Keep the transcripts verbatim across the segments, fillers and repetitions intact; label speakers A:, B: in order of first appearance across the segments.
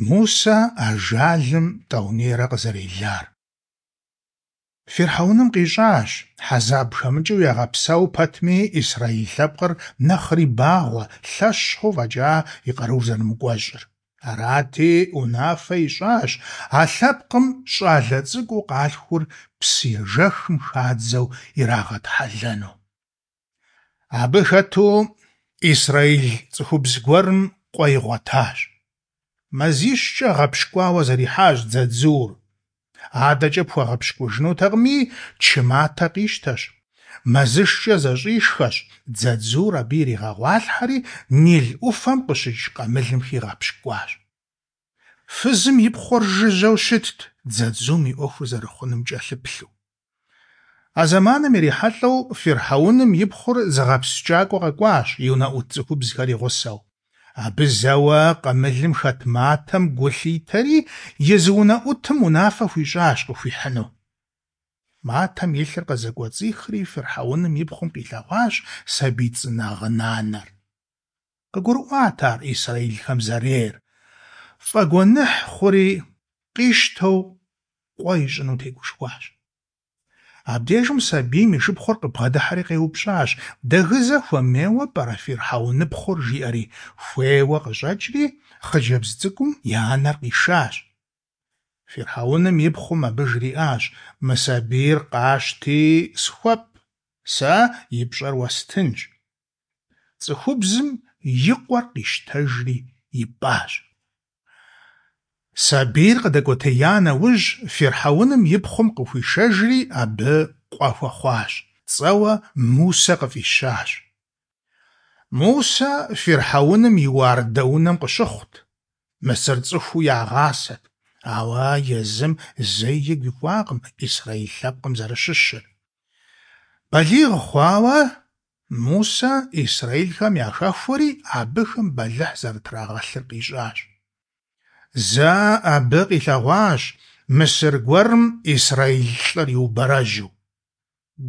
A: Мусэ ажалым тӀэунейрэ къызэрелар. Фирхьэуным къищӀащ, хьэзаб хэмыкӀыу ягъэпсэу пэтми, исраил лъэпкъыр нэхъри багъуэ, лъэщ хъу фӀэкӀа и къарур зэрымыкӀуэщӀыр. Арати, унафэ ищӀащ а лъэпкъым щӀалэ цӀыкӀуу къалъхур псыежэхым хадзэу ирагъэтхьэлэну. Абы хэту исраил цӀыхубз гуэрым къуэ игъуэтащ. МазищкӀэ гъэпщкӀуауэ зэрихьащ дзадзур. АдэкӀэ пхуэгъэпщкӀужынутэкъыми, чы матэ къищтэщ, мэзышкӀэ зэщӀишхэщ, дзадзур абы иригъэгъуалъхьэри, Нил Ӏуфэм къыщыкӀ къамылым хигъэпщкӀуащ. Фызым и пхъур жыжьэу щытт, дзадзум и Ӏуэхур зэрыхъунум кӀэлъыплъу. А зэманым ирихьэлӀэу фирхьэуным и пхъур зыгъэпскӀакӀуэ къэкӀуащ, и унэӀут цӀыхубзхэр и гъусэу. Абы зэуэ къамылым хэт матэм гу лъитэри, езы унэӀутым унафэ хуищӀащ къыхуихьыну. Матэм илъыр къызэкӀуэцӀихри, фирхьэуным и пхъум къилъэгъуащ сабий цӀынэ гъынанэр. КъыгурыӀуат ар исраилхэм зэрейр. ФӀэгуэныхь хъури, къищтэу къуэ ищӀыну тегушхуащ. Абдежым сабийм и шыпхъур къыбгъэдыхьэри къеупщӀащ, дэгызэ хуэмейуэ пӀэрэ фирхьэуныпхъур жиӀэри, хуейуэ къыщӀэкӀри, хъыджэбз цӀыкӀум и анэр къишащ. Фирхьэуным и пхъум абы жриӀащ: «Мы сабийр къащти схуэпӀ, сэ и пщӀэр уэстынщ». ЦӀыхубзым и къуэр къищтэжри ипӀащ. Сабийр къыдэкӀуэтея нэужь, фирхьэуным и пхъум къыхуишэжри абы къуэ хуэхъуащ, цӀэуэ Мусэ къыфӀищащ. Мусэ фирхьэуным и уардэ унэм къыщыхъут, мысыр цӀыхуу ягъасэт, ауэ езым зэи игу ихуакъым исраил лъэпкъым зэрыщыщыр. Балигъ хъуауэ, Мусэ исраилхэм яхэхуэри, абыхэм бэлыхь зэрытрагъэлъыр къищӀащ. Зэ абы къилъэгъуащ мысыр гуэрым исраил лӀыр иубэрэжьу.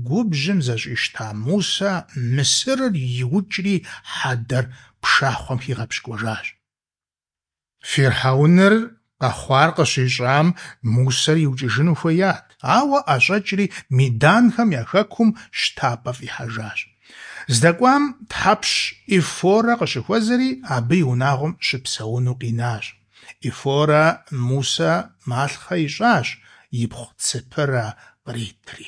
A: Губжьым зэщӀищта Мусэ мысырыр иукӀри хьэдэр пшахъуэм хигъэпщкӀуэжащ. Фирхьэуныр къэхъуар къыщищӀам Мусэр иукӀыжыну хуеят, ауэ ӀэщӀэкӀри миданхэм я хэкум щтапӀэ фӀихьэжащ. ЗдэкӀуам тхьэпщ Ифорэ къыщыхуэзэри, абы и унагъуэм щыпсэуну къинащ. Ифорэ Мусэ малъхъэ ищӀащ, ипхъу Цыпырэ къритри.